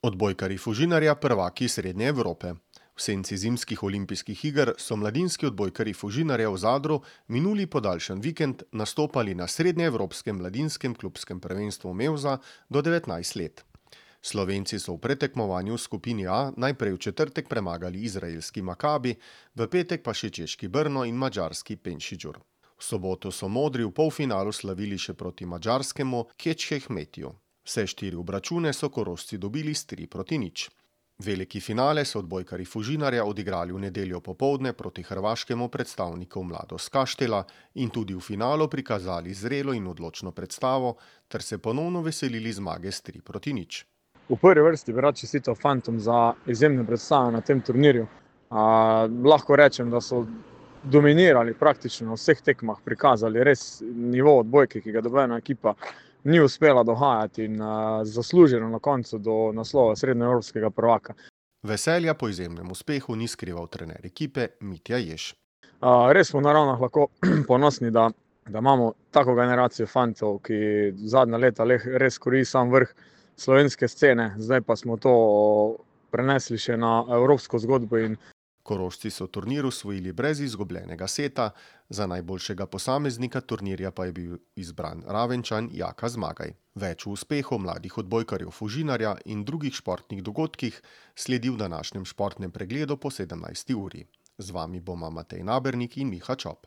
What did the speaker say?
Odbojkarji Fužinarja prvaki Srednje Evrope. V senci zimskih olimpijskih iger so mladinski odbojkarji Fužinarja v Zadru minuli podaljšan vikend nastopali na srednjeevropskem mladinskem klubskem prvenstvu Mevza do 19 let. Slovenci so v pretekmovanju v skupini A najprej v četrtek premagali izraelski Makabi, v petek pa še češki Brno in madžarski Penšiđur. V soboto so modri v polfinalu slavili še proti madžarskemu Kečhehmetiju. Vse 4 obračune so Korošci dobili s 3-0. Veliki finale so odbojkarji Fužinarja odigrali v nedeljo popoldne proti hrvaškemu predstavniku Mladost Kaštela in tudi v finalu prikazali zrelo in odločno predstavo ter se ponovno veselili zmage s 3-0. V prvi vrsti bi rad čestital fantom za izjemne predstave na tem turnirju. Lahko rečem, da so dominirali praktično na vseh tekmah, prikazali res nivo odbojke, ki ga nobena ekipa ni uspela dohajati in zasluženo na koncu do naslova srednjeevropskega prvaka. Veselja po izjemnem uspehu ni skrival trener ekipe Mitja Jež. Res smo na Ravnah lahko ponosni, da imamo tako generacijo fantov, ki zadnja leta res kori sam vrh slovenske scene, zdaj pa smo to prenesli še na evropsko zgodbo. Korošci so turnir osvojili brez izgubljenega seta, za najboljšega posameznika turnirja pa je bil izbran Ravenčan Jaka Zmagaj. Več o uspehu mladih odbojkarjev Fužinarja in drugih športnih dogodkih sledi v današnjem športnem pregledu po 17. uri. Z vami bomo Matej Nabernik in Miha Čop.